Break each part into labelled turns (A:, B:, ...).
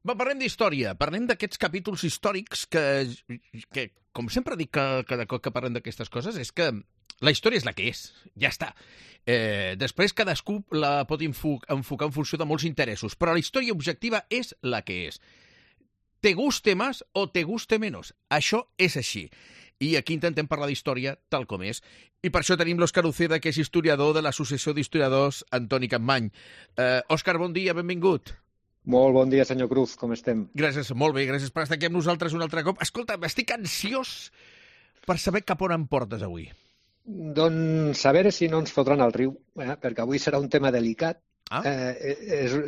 A: Va, parlem d'història, parlem d'aquests capítols històrics que com sempre dic cada cop que parlem d'aquestes coses, és que la història és la que és, ja està. Després cadascú la pot enfocar en funció de molts interessos, però la història objectiva és la que és. Te guste más o te guste menos. Això és així. I aquí intentem parlar d'història tal com és. I per això tenim l'Òscar Uceda, que és historiador de l'Associació d'Historiadors Antoni Capmany. Òscar, bon dia, benvingut.
B: Molt bon dia, senyor Cruz, com estem?
A: Gràcies, molt bé, gràcies per estar aquí amb nosaltres un altre cop. Escolta, estic ansiós per saber cap on em portes avui.
B: Doncs a veure si no ens fotran al riu, perquè avui serà un tema delicat.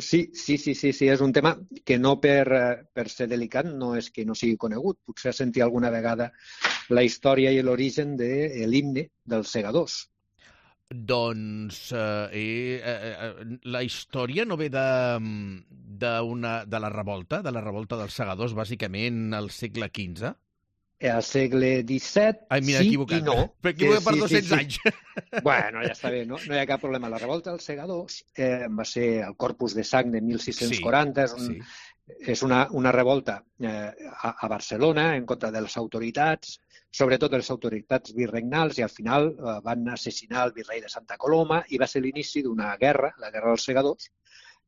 B: Sí, és un tema que no per ser delicat no és que no sigui conegut. Potser has sentit alguna vegada la història i l'origen de l'himne dels segadors.
A: Doncs la història no ve de la revolta dels segadors, bàsicament al segle XV?
B: Al segle XVII, sí i no.
A: Però equivocat per 200 anys.
B: Bueno, ja està bé, no hi ha cap problema. La revolta dels segadors va ser el Corpus de Sang de 1640. És una revolta a Barcelona en contra de les autoritats, sobretot de les autoritats virregnals, i al final van assassinar el virrei de Santa Coloma i va ser l'inici d'una guerra, la Guerra dels Segadors,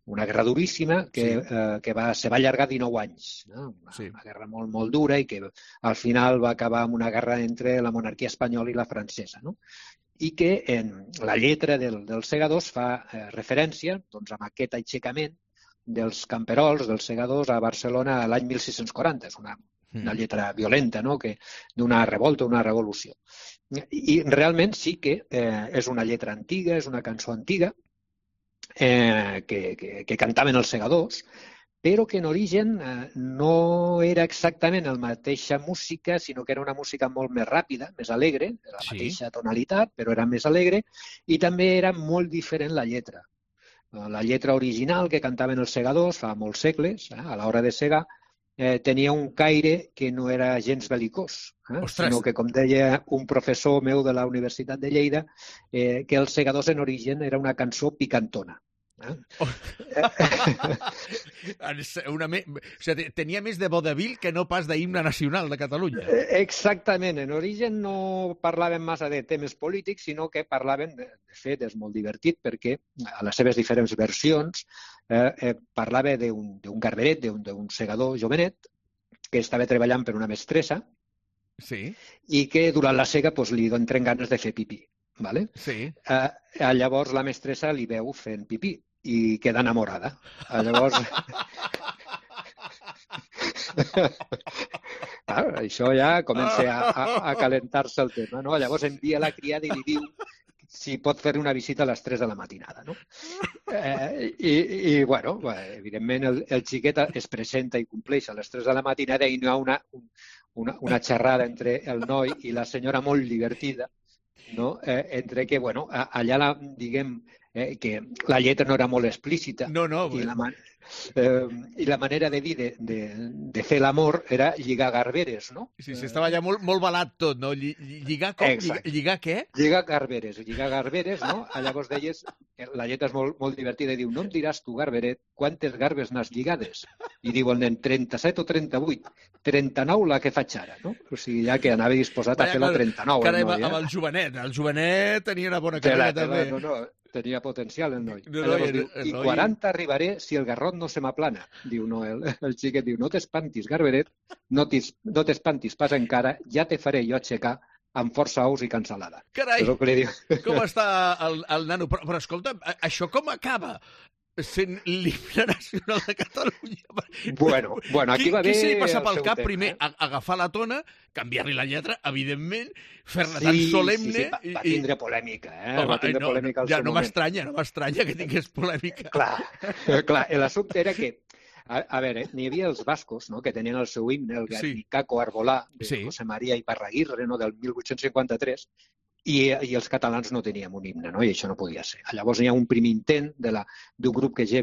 B: una guerra duríssima que se va allargar 19 anys. No? Una guerra molt, molt dura i que al final va acabar amb una guerra entre la monarquia espanyola i la francesa. No? I que en la lletra dels segadors fa referència a aquest aixecament dels camperols, dels segadors a Barcelona l'any 1640. És una lletra violenta, no? D'una revolta, una revolució. I realment sí que és una lletra antiga, és una cançó antiga, que cantaven els segadors, però que en origen no era exactament la mateixa música, sinó que era una música molt més ràpida, més alegre, la mateixa tonalitat, però era més alegre, i també era molt diferent la lletra. La lletra original que cantaven els segadors fa molts segles, a l'hora de segar, tenia un caire que no era gens belicós, sinó que, com deia un professor meu de la Universitat de Lleida, que els segadors en origen era una cançó picantona.
A: Tenia més de vodevil que no pas d'himne nacional de Catalunya.
B: Exactament. En origen no parlaven massa de temes polítics, sinó que parlaven, de fet, és molt divertit, perquè a les seves diferents versions parlava d'un garberet, d'un segador jovenet, que estava treballant per una mestressa i que durant la sega li entren ganes de fer pipí. Vale? Llavors la mestressa li veu fent pipí i queda enamorada. Llavors això ja comença a calentar-se el tema, no? Llavors envia la criada i li diu si pot fer una visita a les 3 de la matinada, no? Bueno, evidentment el xiquet es presenta i compleix a les 3 de la matinada i no hi ha una xerrada entre el noi i la senyora molt divertida, no? Entre que, bueno, allà diguem que la lletra no era molt explícita i la manera de dir de fer l'amor era lligar garberes, no?
A: Sí, estava allà molt balat tot, no? Lligar com? Lligar què?
B: Lligar garberes, no? Llavors deies, la lletra és molt divertida i diu, no em diràs tu, garberet, quantes garbes n'has lligades? I diu el nen, 37 o 38? 39 la que faig ara, no? O sigui, ja que anava disposat a fer la 39.
A: Carai, amb el jovenet tenia una bona carrera també.
B: No, tenia potencial el noi. Llavors diu, i 40 arribaré si el garrot no se m'aplana. Diu, no, el xiquet diu, no t'espantis, garberet, no t'espantis pas encara, ja te faré jo aixecar amb força ous i cansalada.
A: Carai, com està el nano? Però escolta, això com acaba? Sent l'himne nacional de Catalunya.
B: Bueno, aquí va bé...
A: Qui se li passa pel cap primer agafar la tona, canviar-li la lletra, evidentment, fer-la tan solemne...
B: Sí, va tindre polèmica, va tindre polèmica al seu moment.
A: No m'estranya que tingués polèmica.
B: Clar, l'assumpte era que, a veure, n'hi havia els bascos, no?, que tenien el seu himne, el Guernicaco Arbolà, de José María Iparraguirre, no?, del 1853, i els catalans no teníem un himne, no? I això no podia ser. Llavors hi ha un primer intent d'un grup que es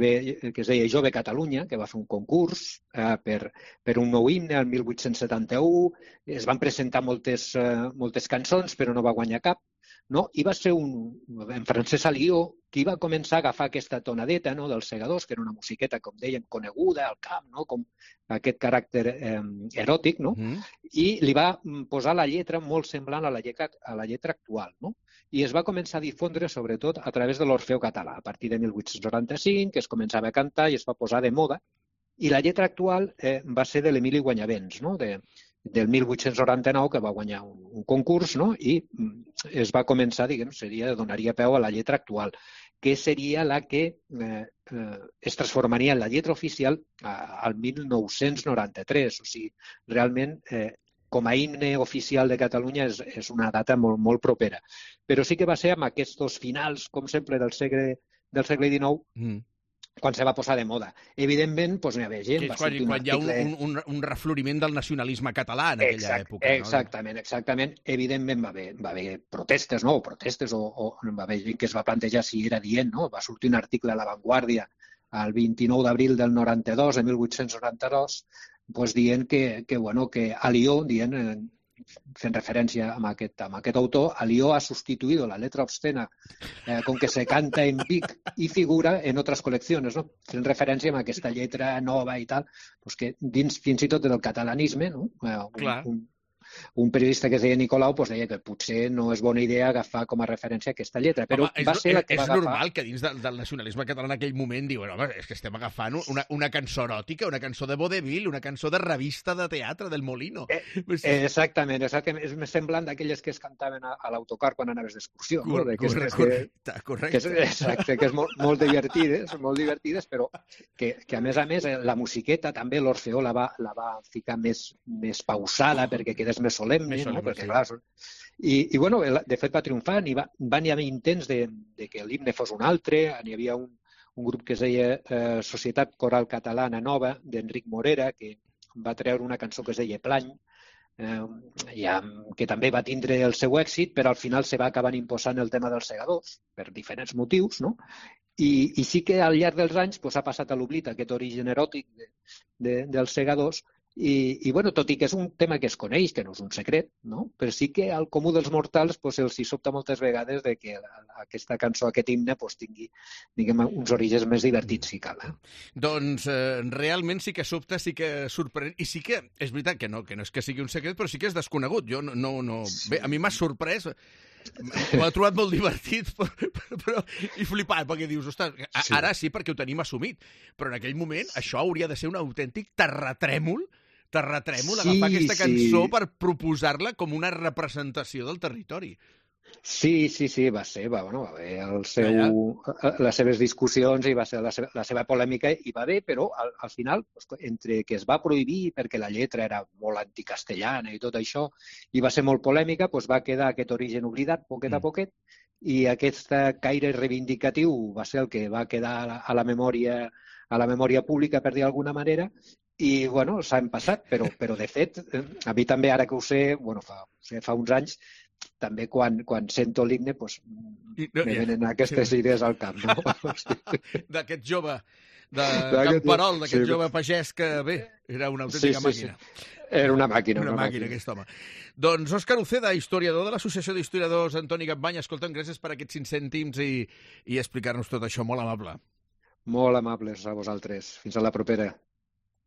B: deia Jove Catalunya, que va fer un concurs per un nou himne el 1871, es van presentar moltes cançons, però no va guanyar cap, no? I va ser en Francesc Alió qui va començar a agafar aquesta tonadeta, no?, dels Segadors, que era una musiqueta, com deien, coneguda al camp, no?, com aquest caràcter eròtic, no? I li va posar la lletra molt semblant a la lletra actual, no? I es va començar a difondre, sobretot, a través de l'Orfeó Català, a partir de 1895, que es començava a cantar i es va posar de moda. I la lletra actual va ser de l'Emili Guanyavents, no?, del 1899, que va guanyar un concurs, no?, i es va començar, diguem, donaria peu a la lletra actual, que seria la que es transformaria en la lletra oficial al 1993. O sigui, realment, com a himne oficial de Catalunya és una data molt, molt propera. Però sí que va ser amb aquests finals, com sempre, del segle XIX, quan se va posar de moda. Evidentment, doncs no hi havia gent.
A: Quan hi ha un refloriment del nacionalisme català en aquella època.
B: Exactament. Evidentment va haver protestes, no? O va haver gent que es va plantejar si era dient, no? Va sortir un article a La Vanguardia el 29 d'abril del 92, de 1892, doncs dient que Alió, fent referència a aquest autor, Alió ha sustituido la letra obscena con que se canta en Vic y figura en otras colecciones, no? Fent referència a aquesta lletra nova i tal, doncs que dins fins i tot del catalanisme, no? Un periodista que es deia Nicolau deia que potser no és bona idea agafar com a referència aquesta lletra, però va ser la que va agafar...
A: És normal que dins del nacionalisme català en aquell moment diuen, home, és que estem agafant una cançó eròtica, una cançó de vaudeville, una cançó de revista de teatre del Molino.
B: Exactament. És més semblant d'aquelles que es cantaven a l'autocar quan anaves d'excursió.
A: Correcte.
B: Exacte, que és molt divertides, però que a més la musiqueta també l'Orfeó la va ficar més pausada perquè quedés més solemne, no? Perquè, clar, i bueno, de fet va triomfar, van haver intents de que l'himne fos un altre, hi havia un grup que es deia Societat Coral Catalana Nova, d'Enric Morera, que va treure una cançó que es deia Plany, que també va tindre el seu èxit, però al final se va acabar imposant el tema dels Segadors, per diferents motius, no? I sí que al llarg dels anys ha passat a l'oblit aquest origen eròtic dels Segadors. I bueno, tot i que és un tema que es coneix, que no és un secret, no? Però sí que al comú dels mortals els hi sobta moltes vegades de que aquesta cançó, aquest himne, tingui, diguem, uns orígens més divertits, si cal.
A: Doncs realment sí que sobta, sí que sorprèn, i sí que és veritat que no és que sigui un secret, però sí que és desconegut. Jo no... Bé, a mi m'ha sorprès, m'ho he trobat molt divertit i flipant, perquè dius, ostres, ara sí perquè ho tenim assumit, però en aquell moment això hauria de ser un autèntic terratrèmol agafar aquesta cançó per proposar-la com una representació del territori.
B: Sí, va haver les seves discussions i va ser la seva polèmica i va bé, però al final, entre que es va prohibir perquè la lletra era molt anticastellana i tot això, i va ser molt polèmica, va quedar aquest origen oblidat poquet a poquet, i aquest caire reivindicatiu va ser el que va quedar a la memòria pública, per dir d'alguna manera, i bueno, s'han passat, però de fet, a mi també, ara que ho sé, fa uns anys, també quan sento l'himne, me venen aquestes idees al cap, no?
A: D'aquest jove de Camperol, d'aquest jove pagès que, bé, era una autèntica màquina.
B: Era una màquina.
A: Una màquina, aquest home. Doncs Òscar Uceda, historiador de l'Associació d'Historiadors Antoni Capmany, escolta'm, gràcies per aquests 5 cèntims i explicar-nos tot això, molt amable.
B: Molt amables a vosaltres. Fins a la propera.